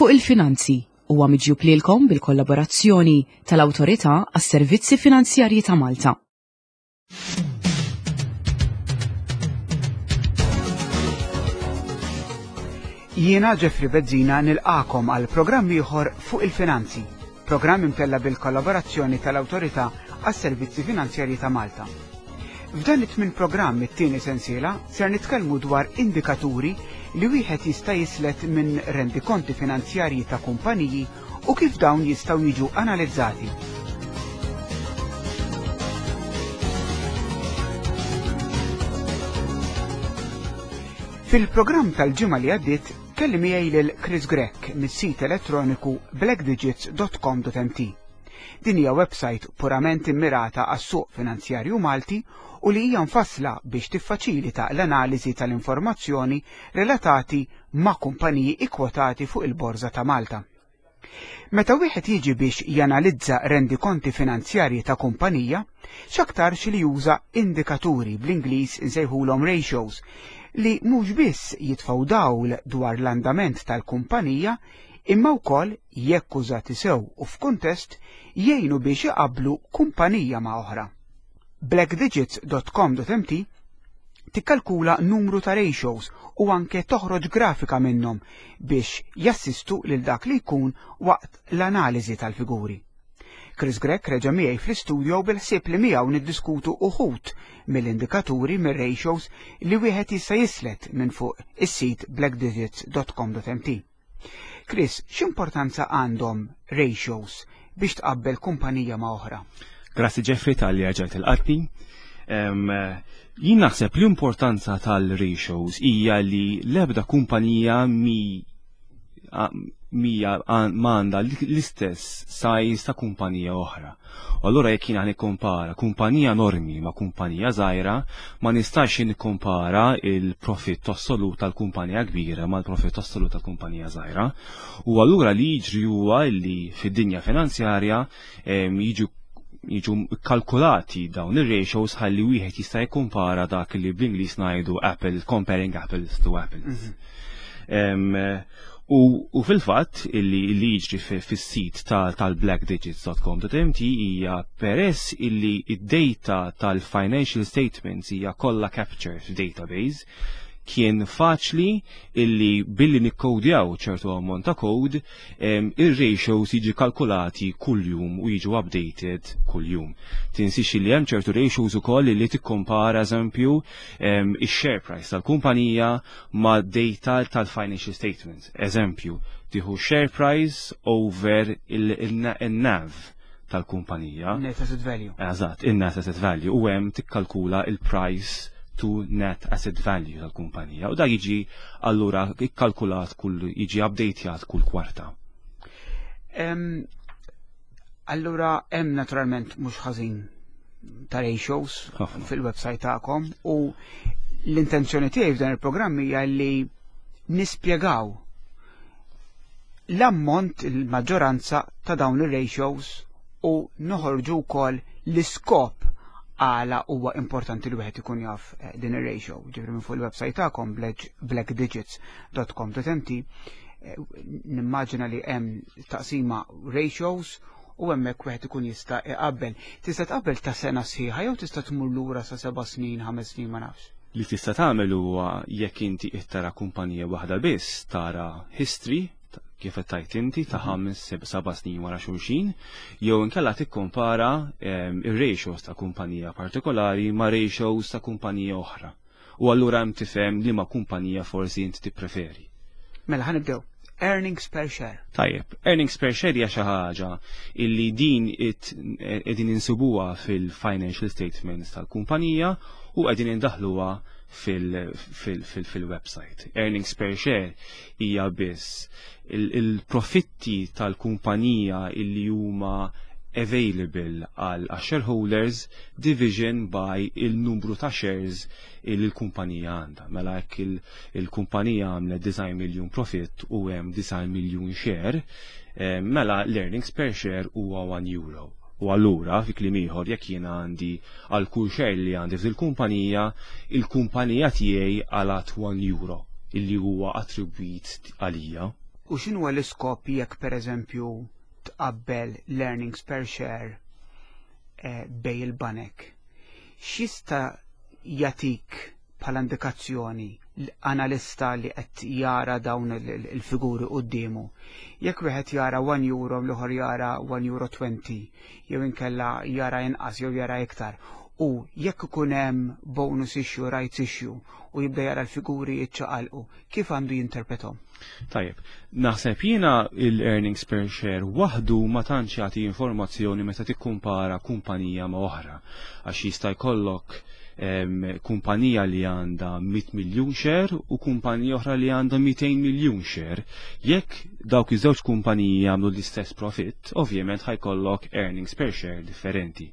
Fuq il-Finanzi huwa miġjub lilkom bil-kollaborazzjoni tal-Awtorità għas-Servizzi Finanzjarji ta' Malta. Jiena Jeffrey Bezzina nilqakom għal programm ieħor fuq il-finanzi, programm imtella bil-kollaborazzjoni tal-Awtorità għas-Servizzi Finanzjarji ta' Malta. F'dan it-tmien programm it-tieni sensiela ser nitkellmu dwar indikaturi li wieħed jista' jislet minn rendikonti finanzjarji ta' kumpaniji u kif dawn jistgħu jiġu analizzati. Fil-programm tal-ġimgħa li għaddiet kelli miegħi lil Chris Grech mis-sit elettroniku blackdigits.com.mt. Din hija websajt purament immirata għas-suq finanzjarju Malti u li hija mfassla biex tiffaċilita l-analiżi tal-informazzjoni relatati ma' kumpaniji ikkwotati fuq il-Borża ta' Malta. Meta wieħed jiġi biex janalizza rendikonti finanzjarji ta' kumpanija, x'aktarx li juża indikaturi bl-Ingliż insejħulhom ratios li mhux biss jitfgħu dawl dwar l-andament tal-kumpanija imma wkoll, jekk użati sew u f'kuntest, jgħinu biex iqabblu kumpanija ma' oħra. Blackdigits.com.mt tikkalkula numru ta' ratios u anke toħroġ grafika minnhom biex jassistu lil dak li jkun waqt l-analiżi tal-figuri. Chris Grech reġa' miegħi fl-istudio bil-ħsieb li miegħu niddiskutu uħud mill-indikaturi mir-ratios li wieħed jista' jislet minn fuq is-sit blackdigits.com.mt. Chris, x'importanza għandhom ratios biex tqabbel kumpanija ma' oħra? Grazzi Jeffrey tal-li għagġajt il-qatni. Jien naħseb l-importanza tal-ratios hija li l-ebda kumpanija mi mija ma għandha l-istess size ta' kumpanija oħra. U allura jekk jiena nikkompara kumpanija normi ma' kumpanija żgħira, ma nistax nikkompara il-profitt assolut tal-kumpanija kbira mal-profitt assolut tal-kumpanija żgħira. U allura li jiġri huwa li fid-dinja finanzjarja jiġu jiġu kalkulati dawn ir-ratios ħalli wieħed jista' jikkumpara dak li bl-Ingliż ngħidu apple, comparing apples to apples. Mm -hmm. U, u fil-fatt illi li jiġri fis-sit tal-blackdigits.com.mt hija peress illi id-data tal-financial statements hija kollha captured f'database kien faċli illi billi nikkodjaw ċertu ammont ta' code ir-ratios jiġi kalkulati kuljum u jiġu updated kuljum. Tinsix li hemm ċertu ratios ukoll li tikkompara eżempju ix-share price tal-kumpanija ma' data tal-financial statements. Eżempju, tieħu share price over il-NAV tal-kumpanija. Net asset value. Eżatt, il-net asset value u hemm tikkalkula il-price to net asset value tal-kumpanija u da jiġi allura ikkalkulat kull jiġi updatejat kull kwarta. Allura hemm naturalment mhux ħażin ta' ratios fil-website tagħkom u l-intenzjoni tiegħi f'dan il-programm hija li nispjegaw l-ammont il-maġġoranza ta' dawn ir-ratios u noħorġu wkoll l-iskop għala huwa importanti li wieħed ikun jaf eh, din ir-ratio. Ġifri minn fuq il-website tagħkom blackdigits.com.mt eh, nimmaġina li hemm taqsima ratios u hemmhekk wieħed ikun jista' iqabbel. Tista' tqabbel ta' sena sħiħa jew tista' tmur lura sa seba' snin, ħames snin ma nafx. Li tista' tagħmel huwa jekk inti qed tara kumpanija waħda biss tara history kif qed tgħid inti ta' mhm. ħames seba' snin wara xulxin, jew inkella tikkompara ehm, ir-ratios ta' kumpanija partikolari ma' ratios ta' kumpanija oħra. U allura hemm tifhem li ma' kumpanija forsi inti tippreferi. Mela ħanibdew. Earnings per share. Tajjeb, earnings per share hija xi ħaġa illi din qegħdin insibuha fil-financial statements tal-kumpanija u qegħdin indaħluha fil-website. Earnings per share hija biss il-profitti tal-kumpanija illi huma available għal shareholders division by il-numru ta' shares il l-kumpanija għandha. Mela jekk il-kumpanija għamlet 9 miljun profitt u hemm 9 miljun share, eh, mela l-earnings per share huwa 1 euro. U allura, fi kliem ieħor, jekk jiena għandi għal kull share li għandi fil-kumpanija, il-kumpanija tiegħi għalat 1 euro illi huwa attribwit għalija. U x'inhuwa l-iskop jekk pereżempju tqabbel l-earnings per share bejn il-banek? X'jista' jagħtik bħala indikazzjoni l-analista li qed jara dawn il-figuri quddiemu? Jekk wieħed jara 1 euro, l-ieħor jara 1 euro 20, jew inkella jara inqas jew jara iktar, u jekk ikun hemm bonus issue, rights issue, u jibda jara l-figuri jiċċaqalqu, kif għandu jinterpretom? Tajjeb, naħseb jiena il-earnings per share waħdu ma tantx jagħti informazzjoni meta tikkumpara kumpanija ma' oħra, għax jista' jkollok kumpanija li għandha 100 miljun share u kumpanija oħra li għandha 200 miljun share. Jekk dawk iż-żewġ kumpaniji jagħmlu l-istess profitt, ovvjament ħa jkollok earnings per share differenti.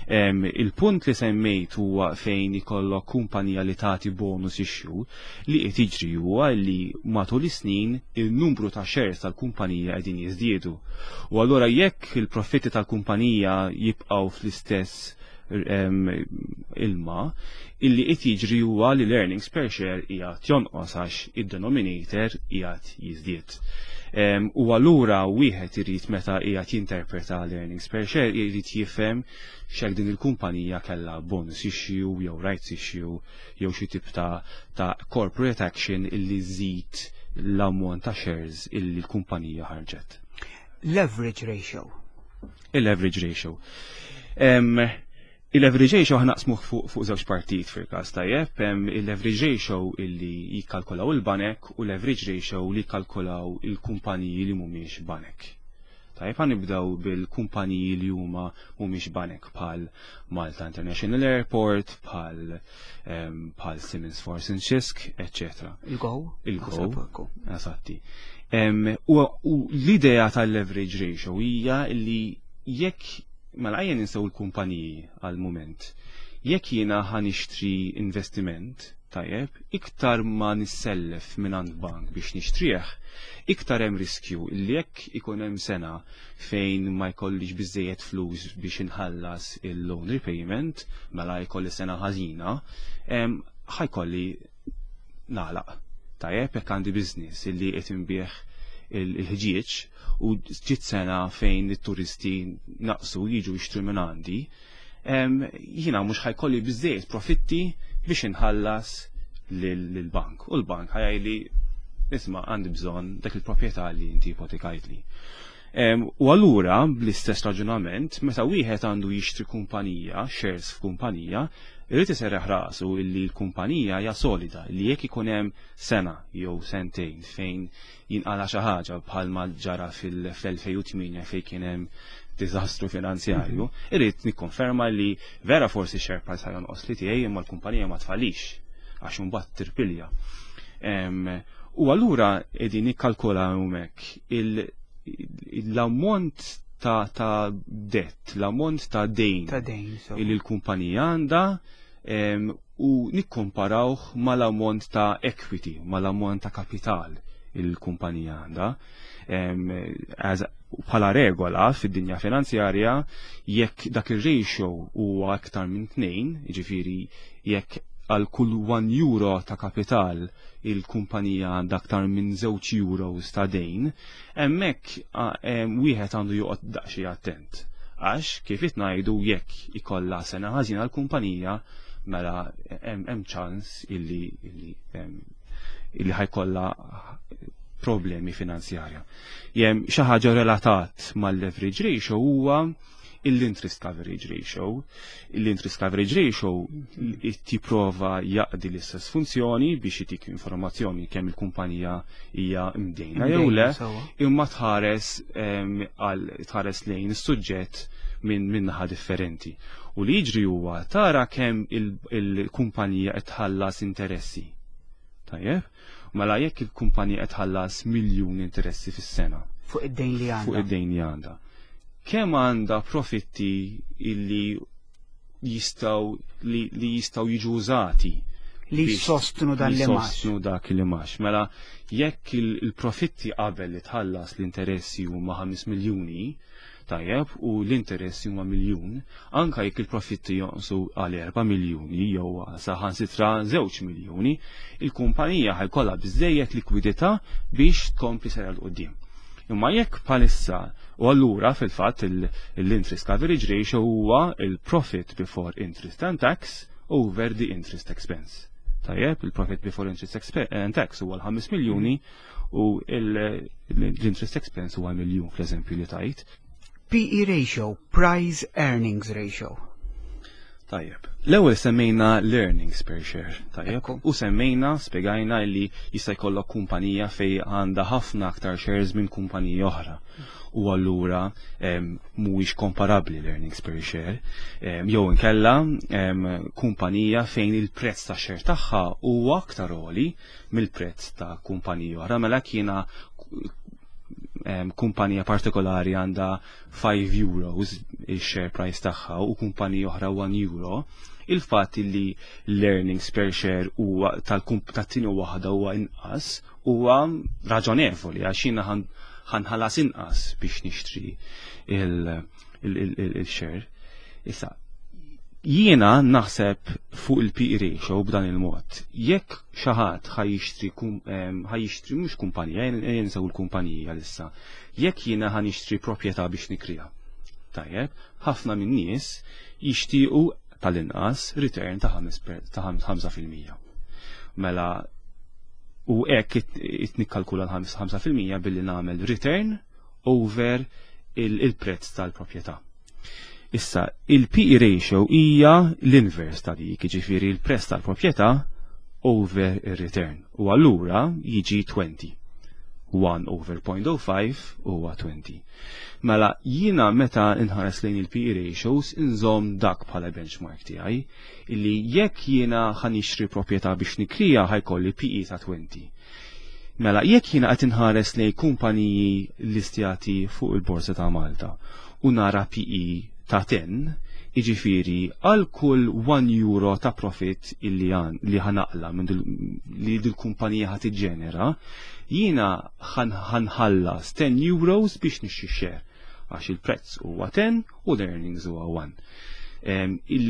Il-punt li semmejt huwa fejn ikollok kumpanija li tagħti bonus issue. Li qed jiġri huwa li matul is-snin il-numru ta' shares tal-kumpanija qegħdin jiżdiedu. U allura jekk il-profitti tal-kumpanija jibqgħu fl-istess ilma, illi qed jiġri huwa li l-earnings per share qiegħed jonqos għax id-denominator qiegħed jiżdied. U allura wieħed irid, meta qiegħed jinterpreta l-earnings per share, irid jifhem x'hekk din il-kumpanija kellha bonus issue jew rights issue jew xi tip ta' corporate action illi żid l-ammont ta' shares illi l-kumpanija ħarġet. Leverage ratio. Il-leverage ratio. Il-leverage ratio ħa naqsmuh fuq żewġ partijiet fil-każ, tajjeb, il-leverage ratio illi jikkalkulaw il-banek u leverage ratio li jikkalkulaw il-kumpaniji li mhumiex banek. Tajjeb, ħa nibdew bil-kumpaniji li huma mhumiex banek, bħal Malta International Airport, bħal Siemens Force Cisk, etc. Il-Go? Il-Go. Eżatti. U l-idea tal-leverage ratio hija li jekk, mela ejja ninsew il-kumpaniji għal-moment. Jekk jiena ħa nixtri investiment, tajjeb, iktar ma nissellef minn għand bank biex nixtrih, iktar hemm riskju li jekk ikun hemm sena fejn ma jkollix biżejjed flus biex inħallas il-loan repayment, mela jkolli sena ħażina, ħa jkolli nagħlaq. Tajjeb, jekk għandi business illi qed inbigħ il-ħġieġ u ġiet sena fejn it-turisti naqsu jiġu jixtru minn għandi, jiena mhux ħa jkolli biżejjed profitti biex inħallas lill-bank. U l-bank ħa jgħidli, "Isma', għandi bżonn dak il-proprjetà li inti ipotekajtli." U allura bl-istess raġunament, meta wieħed għandu jixtri kumpanija, shares f'kumpanija, irid iserraħ rasu illi l-kumpanija hija solida, li jekk ikun hemm sena jew sentejn fejn jinqala xi ħaġa bħalma ġara fil-2008 fejn kien hemm diżastru finanzjarju, irrid nikkonferma li vera forsi share price ħa jonqos li tiegħi, imma l-kumpanija ma tfallix għax imbagħad tirpilja. U allura qegħdin nikkalkula hemmhekk l-ammont ta' debt, l-ammont ta' dejn Ta' dejn, so. illi l-kumpanija għandha u nikkomparawh mal-ammont ta' equity, mal-ammont ta' kapital il-kumpanija għandha. Bħala regola fid-dinja finanzjarja, jekk dak ir-ratio huwa aktar minn 2, jiġifieri jekk għal kull 1 euro ta' kapital il-kumpanija għandha aktar minn 2 euros ta' dejn, hemmhekk wieħed għandu joqgħod daqsxejn attent. Għax kif qed ngħidu, jekk ikollha sena ħażina l-kumpanija, mela hemm ċans illi ħa jkollha problemi finanzjarja. Jem xi ħaġa relatat mal-leverage ratio huwa l-interest coverage ratio. L-interest coverage ratio tipprova jaqdi l-istess funzjoni biex jitik informazzjoni kemm il-kumpanija hija mdejna jew le, imma tħares għal tħares lejn is-suġġett minn naħa differenti. U li jiġri huwa tara kemm il-kumpanija qed tħallas interessi. Tajjeb? Mela jekk il-kumpanija qed tħallas miljun interessi fis-sena. Fuq id-dejn li għandha. Fuq id-dejn li għandha. Kemm għandha profitti illi jistgħu li jistgħu jiġu użati li sostnu dan li li max. Sostnu dak li max. Mela jekk il-profitti qabel li tħallas l-interessi huma 5 miljuni, Tajjeb, u l-interessi huma miljun, anka jekk il-profitti jonqsu għal 4 miljuni jew saħansitra 2 miljuni, il-kumpanija ħa jkollha biżejjed likwidità biex tkompli sejra 'l quddiem. Imma jekk bħalissa u allura fil-fatt l-interest coverage ratio huwa il-profit before interest and tax over the interest expense. Tajjeb, il-profit before interest and tax huwa l-5 miljuni u l-interest expense huwa miljun fl-eżempju li tajt. PE ratio, price earnings ratio. Tajjeb. L-ewwel semmejna l-earnings per share, tajjeb. U semmejna, spjegajna li jista' jkollok kumpanija fej għandha ħafna aktar shares minn kumpanija oħra. U allura mhuwiex komparabbli l-earnings per share. Jew inkella kumpanija fejn il-prezz ta' share tagħha huwa aktar għoli mill-prezz ta' kumpanija oħra. Mela kiena kumpanija partikolari għandha €5 il-share price tagħha u kumpanija oħra €1, il-fatt li l-earnings per share huwa tat-tieni waħda huwa inqas huwa raġonevoli għax jiena ħa nħallas inqas biex nixtri il-share. Issa, jiena naħseb fuq il-PE ratio b'dan il-mod. Jekk xi ħadd ħa jixtri mhux kumpanija, jinsew il-kumpanija issa. Jekk jiena ħa nixtri proprjetà biex nikrija. Tajjeb, ħafna minn nies jixtiequ tal-inqas return ta' 5%. Mela u hekk it nikkalkula l-5% billi nagħmel return over il-prezz tal-proprjetà. Issa, il-PE ratio hija l-inverse ta' dik, jiġifieri il-prezz tal-proprjetà over il-return. U allura jiġi 20. 1 over 0.05 huwa 20. Mela jiena meta nħares lejn il-PE ratios inżomm dak bħala benchmark tiegħi illi jekk jiena ħa nixtri proprjetà biex nikrija ħa jkolli PE ta' 20. Mela jekk jiena qed inħares lejn kumpaniji listjati fuq il-Borsa ta' Malta u nara PE ta' 10, iġifiri għal kull €1 ta' profit illi li ħa naqla' minn li dil-kumpanija ħa tiġġenera, jiena ħa nħallas €10 biex nixtri share għax il-prezz huwa 10 u l-earnings huwa 1.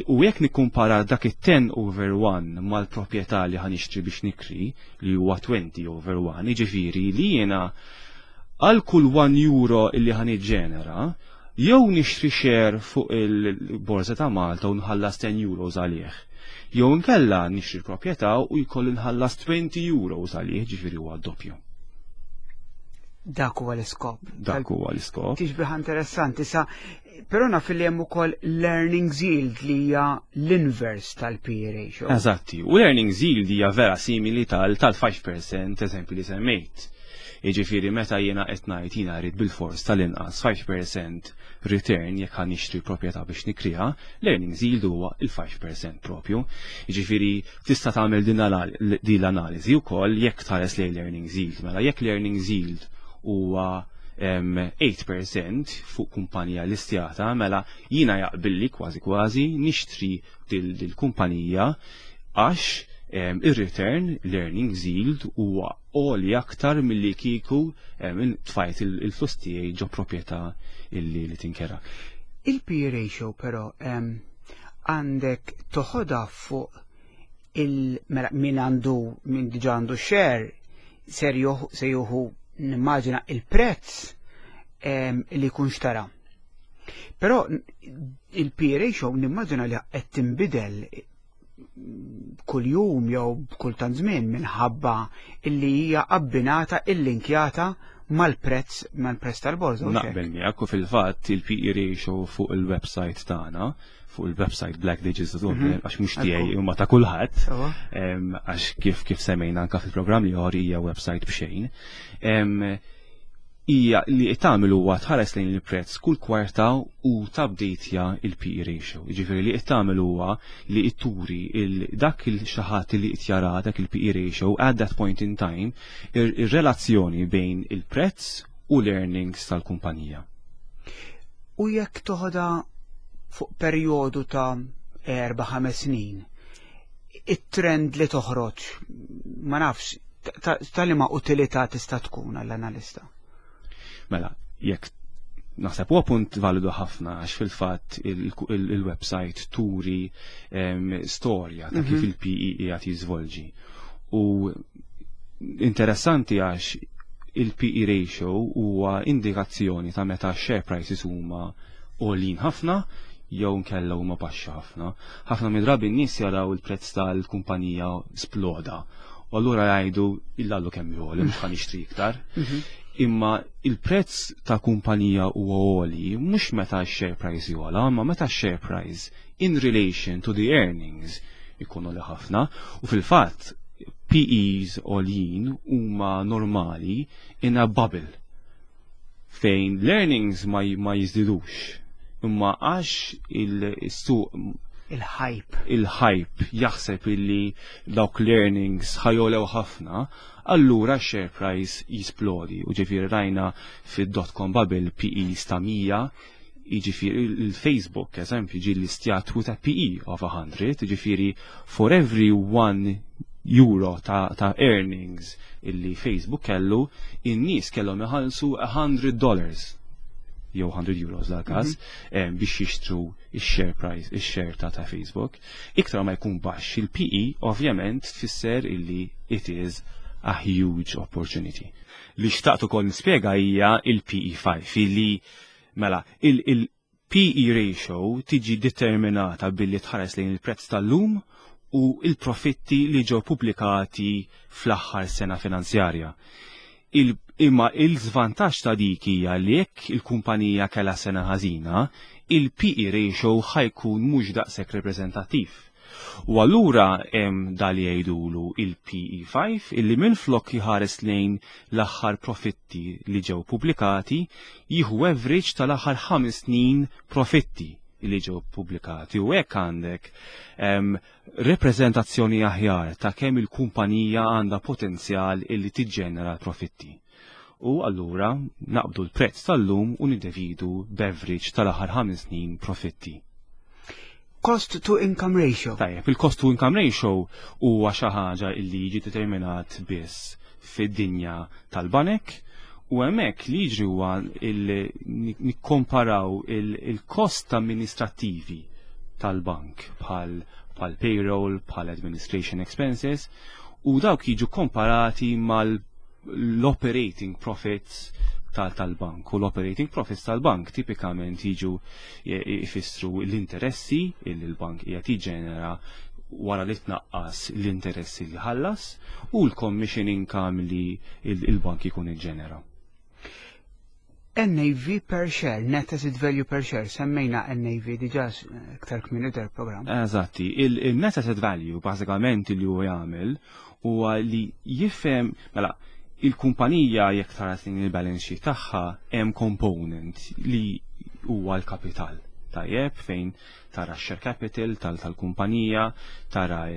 U jekk nikkumpara dak it-10 over 1 mal-proprjetà li ħa nixtri biex nikri li huwa 20 over 1, jiġifieri li jiena għal kull €1 illi ħa niġġenera, jew nixtri share fuq il-Borsa ta' Malta u nħallas €10 għalih. Jew inkella nixtri proprjetà u jkolli nħallas €20 għalih, ġifieri huwa doppju. Dak huwa l-iskop. Dak huwa l-iskop. Tixbiha interessanti sa però naf li hemm ukoll l-earnings yield li hija l-inverse tal-PE ratio. Eżatti, u l-earnings yield hija vera simili tal-5% eżempju li semmejt. Jiġifieri meta jiena qed ngħid jiena rrid bil-fors tal-inqas 5% return jekk ħa nixtri proprjetà biex nikriha, l-earnings yield huwa il-5% propju. Jiġifieri tista' tagħmel din l-analiżi wkoll jekk tħares lejn l-earnings yield. Mela jekk l-earnings yield huwa 8% fuq kumpanija listjata, mela jiena jaqbilli kważi kważi nixtri dil-kumpanija għax ir-return, l-earnings yield huwa għoli aktar milli kieku tfajt il-flus tiegħi ġo proprjetà illi li tinkera. Il-PE ratio però għandek toħodha fuq il mela min għandu min diġà għandu share ser se juhu nimmaġina il-prezz li jkun xtara. Però il-PE ratio nimmaġina li qed tinbidel kull jum jew kull tant żmien minħabba illi hija abbinata illinkjata mal-prezz tal-borża. Naqbel miegħek u fil-fatt il-PE ratio fuq il-website tagħna, fuq il-website blackdigits.com, għax mhux tiegħi imma ta' kulħadd, għax kif semmejna anka fil-programm li hija website b'xejn. Hija li tagħmel huwa tħares lejn il-prezz kull kwarta u tabdejtja il-PE ratio. Jiġifieri li qed tagħmel huwa li turi dak il-xi ħadd li qed jara dak il-PE ratio at that point in time ir-relazzjoni bejn il-prezz u l-earnings tal-kumpanija. U jekk toħodha fuq perjodu ta' 4-5 snin, it-trend li toħroġ, ma nafx, ta' liema utilità tista' tkun għall-analista? Mela, jekk Naħseb huwa punt validu ħafna għax fil-fatt il-website turi storja ta' kif il-PE qiegħed jiżvolġi. U interessanti għax il-PE ratio huwa indikazzjoni ta' meta share prices huma għolin ħafna jew nkella huma baxxi ħafna. Ħafna mid-drabi n-nies jaraw il-prezz tal-kumpanija sploda. U allura jgħidu illallu kemm jogħli, mhux ħa nixtri iktar. Imma il-prezz ta' kumpanija huwa għoli mhux meta x-share price jogħla, imma meta x-share price in relation to the earnings ikunu li ħafna. U fil-fatt PEs għoljin huma normali in a bubble fejn l-earnings ma jiżdidux. Imma għax il-suq Il-hype. Il-hype jaħseb illi dawk l-earnings ħa jogħlew ħafna, allura share price jisplodi. U ġifieri rajna fid-dot-com bubble PEs ta' 100, jiġifieri il-Facebook, eżempju, ġi listjat with a PE of 100, ġifieri for every €1 ta' earnings illi Facebook kellu, in-nies kellhom iħallsu $100 jew €100 dal-każ biex jixtru il-share price, il-share ta' Facebook. Iktar ma jkun baxx il-PE, ovvjament tfisser illi it is a huge opportunity. Li xtaqt ukoll nispjega hija il-PE5, illi mela il-PE ratio tiġi determinata billi tħares lejn il-prezz tal-lum u il-profitti li ġew pubblikati fl-aħħar sena finanzjarja. Imma il-żvantaġġ ta' dik hija li jekk il-kumpanija kellha sena ħażina, il-PE ratio ħa jkun mhux daqshekk reprezentattiv. U allura hemm dal jgħidulu il-PE5, illi minflok jħares lejn l-aħħar profitti li ġew pubblikati, jieħu average tal-aħħar 5 snin profitti li ġew pubblikati, u hekk għandek reprezentazzjoni aħjar ta' kemm il-kumpanija għandha potenzjal illi tiġġenera profitti. U allura naqbdu l-prezz tal-lum u niddividu b'average tal-aħħar 5 snin profitti. Cost to income ratio. Tajjeb, il-cost to income ratio huwa xi ħaġa illi jiġi determinat biss fid-dinja tal-banek, u hemmhekk li jiġri huwa nikkomparaw il-kost amministrattivi tal-bank bħal payroll, bħal administration expenses, u dawk jiġu komparati mal-operating profits tal-bank. U l-operating profits tal-bank tipikament jiġu jfissru l-interessi li l-bank qiegħed jiġġenera wara li tnaqqas l-interessi li ħallas u l-commission income li il-bank ikun iġġenera. NAV per share, net asset value per share, semmejna NAV diġa iktar kmieni dal-programm. Eżatti, il-net asset value bażikament li huwa jagħmel huwa li jifhem, mela, il-kumpanija jekk tara il-balance sheet tagħha hemm component li huwa l-kapital. Tajjeb, fejn tara share capital tal-kumpanija, tara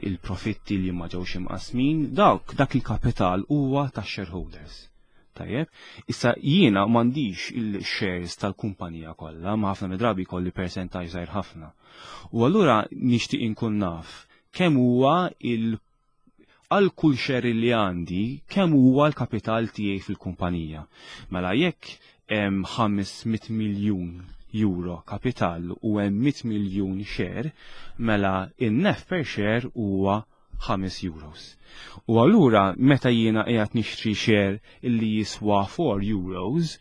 il-profitti li ma ġewx imqasmin, dak il-kapital huwa tax shareholders. Tajjeb, issa jiena m'għandix il-shares tal-kumpanija kollha, ma ħafna midrabi kolli percentaġġ żgħir ħafna. U allura nixtieq inkun naf kemm huwa il għal kull share li għandi, kemm huwa l-kapital tiegħi fil-kumpanija. Mela jekk hemm 500 miljun euro kapital u hemm 100 miljun share, mela in-NAV per share huwa €5. U allura meta jiena qiegħed nixtri share illi jiswa €4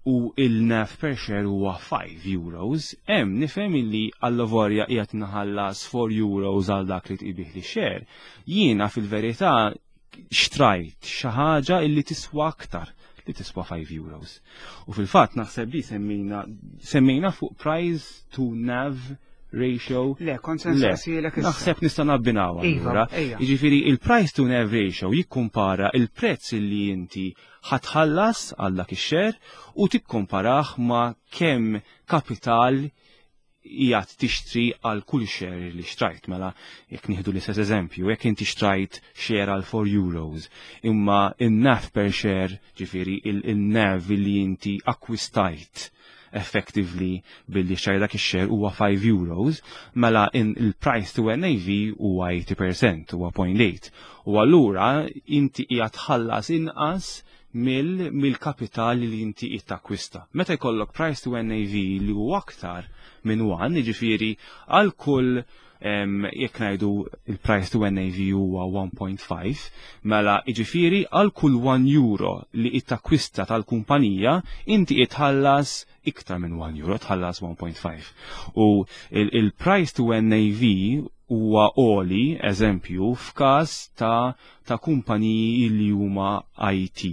u il-NAV per share huwa €5, hemm nifhem illi allavolja qiegħed naħallas €4 għal dak li tbigħli share, jiena fil-verità xtrajt xi ħaġa illi tiswa aktar, li tiswa €5. U fil-fatt naħseb li semmejna fuq price to NAV ratio. Le, kont se nsaqsilek issa. Naħseb nista' nabbinaw Iva, allura. Ejja. Jiġifieri il-price to NAV ratio jikkumpara il-prezz li inti ħa tħallas għal dak ix-share u tikkomparah ma' kemm kapital qiegħed tixtri għal kull share li xtrajt. Mela, jekk nieħdu l-istess eżempju, jekk inti xtrajt share għal €4, imma il-NAV per share, ġifieri il-NAV li inti akkwistajt effectively billi xtrajt dak ix-share huwa €5, mela in il-price to NAV huwa 80%, huwa 0.8. U allura inti qiegħed tħallas inqas Mill-kapital li inti qed takkwista. Meta jkollok price to NAV li huwa aktar minn 1, jiġifieri għal kull, jekk ngħidu il-price to NAV huwa 1.5, mela jiġifieri għal kull €1 li qed takkwista tal-kumpanija inti qed tħallas iktar minn €1, tħallas 1.5. U il-price to NAV huwa għoli, eżempju, f'każ ta' kumpaniji li huma IT.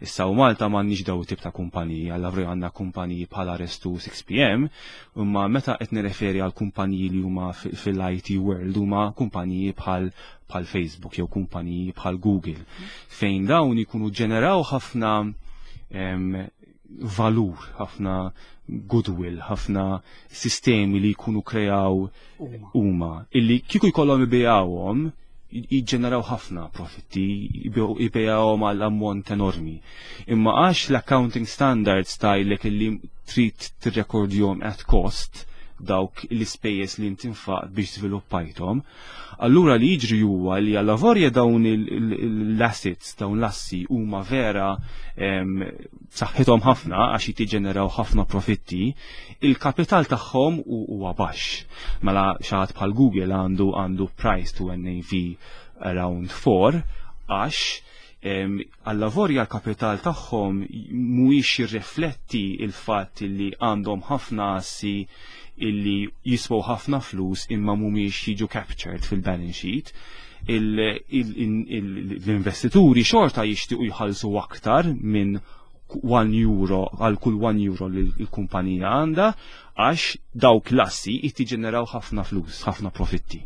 Issa u Malta m'għandniex daw tip ta' kumpaniji, għalla għandna kumpaniji bħala Restu 6 PM, imma meta qed nirreferi għal kumpaniji li huma fil-IT world, huma kumpaniji bħal Facebook jew kumpaniji bħal Google, fejn dawn ikunu ġeneraw ħafna valur, ħafna goodwill, ħafna sistemi li jkunu kreaw huma, illi kieku jkollhom ibigħuhom jiġġeneraw ħafna profitti, ibigħuhom għal ammont enormi. Imma għax l-accounting standards tgħidlek illi trid tirrekordjhom at cost dawk l-ispejjeż li inti nfaqt biex żviluppajthom, allura li jiġri huwa li għalavolja dawn l-assets, dawn l-assi huma vera saħħithom ħafna għax jittiġeneraw ħafna profitti, il-kapital tagħhom huwa baxx. Mela xi ħadd bħal Google għandu price to NAV around 4 għax għallavolja l-kapital tagħhom mhuwiex jirrifletti il-fatt li għandhom ħafna assi illi jiswew ħafna flus imma mhumiex jiġu captured fil-balance sheet. L-investituri xorta jixtiequ jħallsu aktar minn €1 għal kull €1 li l-kumpanija għandha għax dawk l-assi jittiġeneraw ħafna flus, ħafna profitti.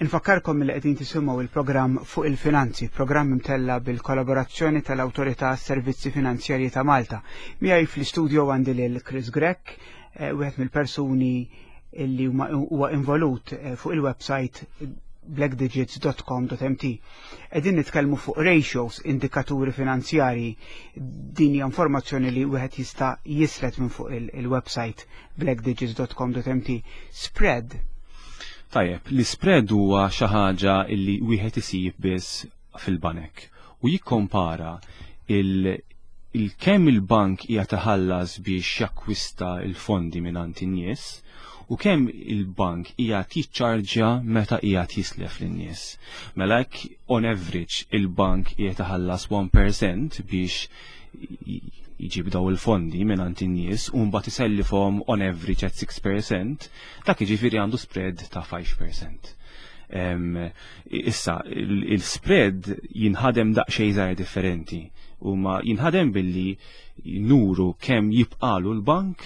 Infakkarkom li qegħdin tisimgħu il-programm Fuq il-Finanzi, programm imtella bil-kollaborazzjoni tal-Awtorità Servizzi Finanzjarji ta' Malta. Miegħi fl-istudio għandi lil Chris Grech, wieħed mill-persuni li huwa involut fuq il-website blackdigits.com.mt. Qegħdin nitkellmu fuq ratios, indikaturi finanzjarji. Din hija informazzjoni li wieħed jista' jislet minn fuq il-website blackdigits.com.mt. Spread. Tajjeb, l-spread huwa xi ħaġa li wieħed isib biss fil-banek u jikkompara il-kemm il-bank qiegħed iħallas biex jakkwista il-fondi mingħand in-nies u kemm il-bank qiegħed jiċċarġja meta qiegħed jislef lin-nies. Mela hekk on average il-bank qiegħed iħallas 1% biex jġib daw il-fondi minn in-nies u mbagħad isellifhom on average at 6%, dak jiġifieri għandu spread ta' 5%. Issa, il-spread jinħadem daqsxejn żgħir differenti u ma jinħadem billi nuru kemm jibqalu l-bank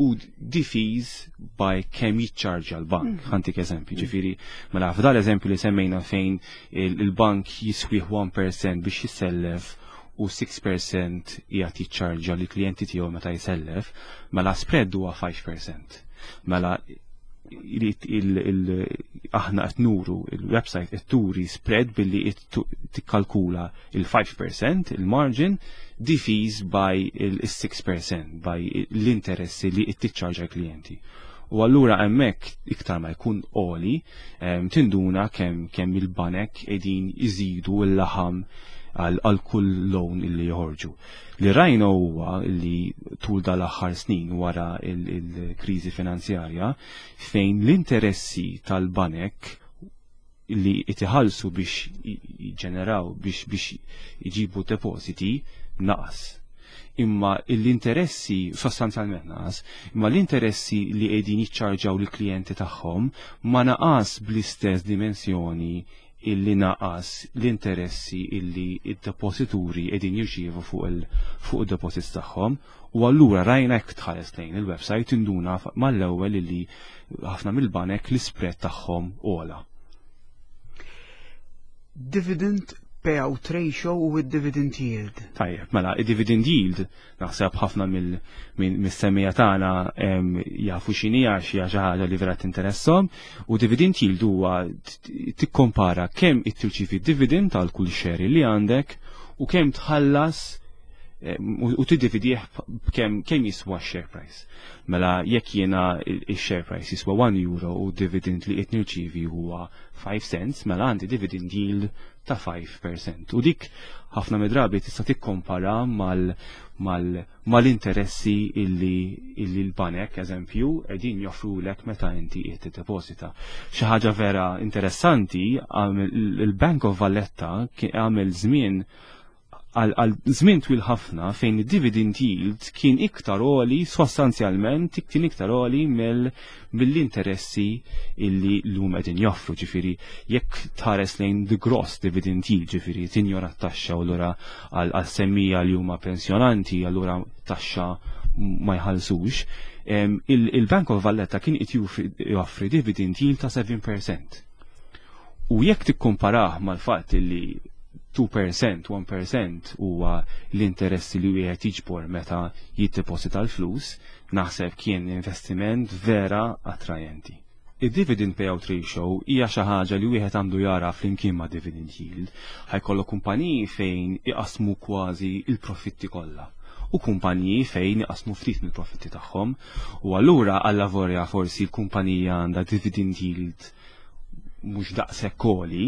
u diviż by kemm jiċċarġa l-bank. Ħa ntik eżempju, ġifieri, mela f'dal eżempju li semmejna fejn il-bank jiswih 1% biex jissellef u 6% qiegħed jiċċarġa li klijenti tiegħu meta jsellef, mela spread huwa 5%. Mela aħna qed nuru, il-website qed turi spread billi tikkalkula il-5% il-margin diviż by il-6%, by l-interessi li tiċċarġa l-klijenti. U allura hemmhekk iktar ma jkun għoli, tinduna kemm il-banek qegħdin iżidu l-laħam għal kull loan illi joħorġu. Li rajna huwa li tul dal-aħħar snin wara il-kriżi finanzjarja fejn l-interessi tal-banek li itiħallsu biex jiġġeneraw, biex iġibu depositi naqas. Imma l-interessi sostanzjalment naqas, imma l-interessi li qegħdin jiċċarġaw lill-klijenti tagħhom ma naqas bl-istess dimensjoni illi naqas l-interessi illi id-deposituri qegħdin jirċievu fuq il-deposits tagħhom. U allura rajna, jekk tħares lejn il-website, tinduna mal-ewwel illi ħafna mill-banek l-spread tagħhom ogħla. Dividend payout ratio u id-dividend yield. Tajjeb, mela, id-dividend yield naħseb ħafna mill-semmiegħa tagħna jafu x'inhi għax hija xi ħaġa li vera tinteresshom, u dividend yield huwa tikkompara kemm tirċievi dividend għal kull share li għandek u kemm tħallas. eh, u tiddividih kemm kemm jiswa share price. Mela jekk jiena il-share price jiswa 1 euro u dividend li qed nirċievi huwa 5 cents, mela għandi dividend yield ta' 5%. U dik ħafna mid-drabi tista' tikkompara mal-interessi illi illi l-banek, eżempju, qegħdin joffrulek meta inti qed tiddeposita. Xi ħaġa vera interessanti, il-Bank of Valletta għamel żmien għal żmien twil ħafna fejn id-dividend yield kien iktar għoli sostanzjalment kien iktar għoli mill-interessi illi l-lum qegħdin joffru. Ġifieri jekk tħares lejn the gross dividend yield, ġifieri tinjora t-taxxa u allura għal semmija li huma pensjonanti allura taxxa ma jħallsux, il-Bank of Valletta kien qed joffri dividend yield ta' 7%. U jekk tikkomparah mal-fatt li 2%, 1% huwa l-interessi li wieħed jiġbor meta jiddeposita l-flus, naħseb kien investiment vera attrajenti. Id-dividend payout ratio hija xi ħaġa li wieħed għandu jara flimkien ma' dividend yield. Ħa jkollok kumpaniji fejn iqasmu kważi il-profitti kollha u kumpaniji fejn iqasmu ftit mill-profitti tagħhom. U allura allavolja forsi l-kumpanija għandha dividend yield mhux daqshekk għoli,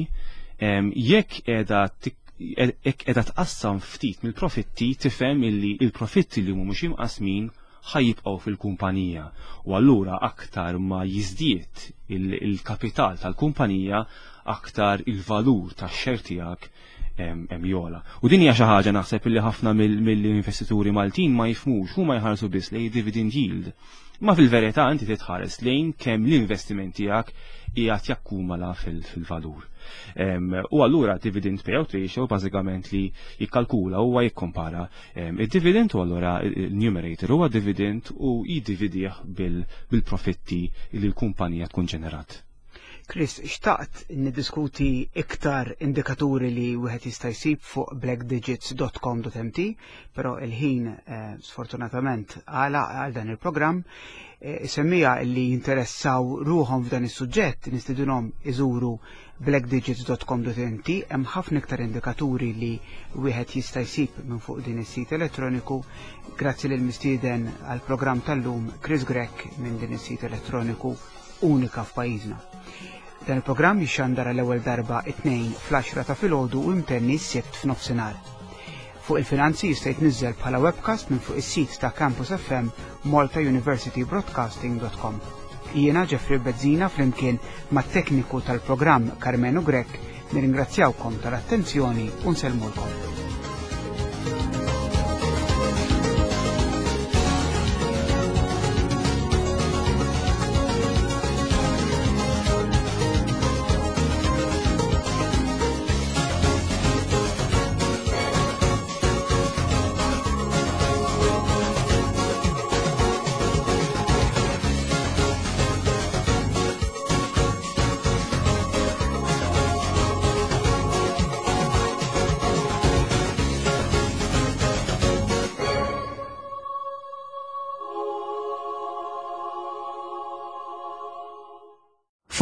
jekk qiegħda tqassam ftit mill-profitti tifhem illi il-profitti li mhumiex imqasmin ħa jibqgħu fil-kumpanija. U allura aktar ma jiżdied il-kapital tal-kumpanija, aktar il-valur tax-share tiegħek jogħla. U din hija xi ħaġa naħseb illi ħafna mill-investituri Maltin ma jifhmux, huma jħarsu biss lejn dividend yield. Ma fil-verità inti titħares lejn kemm l-investiment tiegħek qiegħed jakkumula fil-valur. U allura dividend payout ratio bażikament li jikkalkula huwa jikkompara id-dividend u allura il-numerator huwa dividend u jiddividih bil-profitti li l-kumpanija tkun ġenerat. Chris, xtaqt niddiskuti iktar indikaturi li wieħed jista' jsib fuq blackdigits.com.mt, però il-ħin sfortunatament għala għal dan il-programm. Semmija li jinteressaw ruħhom f'dan is-suġġett nistidunhom iżuru blackdigits.com.mt. Hemm ħafna iktar indikaturi li wieħed jista' jsib minn fuq din is-sit elettroniku. Grazzi lil mistieden għal programm tal-lum Chris Grech minn din is-sit elettroniku unika f'pajjiżna. Dan il-programm jixxandar għall-ewwel darba it-Tnejn fl-10 ta' filgħodu u imtenni s-Sibt f'nofsinhar. Fuq il-Finanzi jista' jitniżżel bħala webcast minn fuq is-sit ta' Campus FM maltauniversitybroadcasting.com. Jiena Jeffrey Bezzina flimkien mat-tekniku tal-programm Karmenu Grech nirringrazzjawkom tal-attenzjoni u nsellmulkom.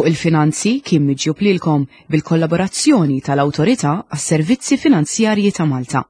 Fuq il-Finanzi kien miġjub lilkom bil-kollaborazzjoni tal-Awtorità għas-Servizzi Finanzjarji ta' Malta.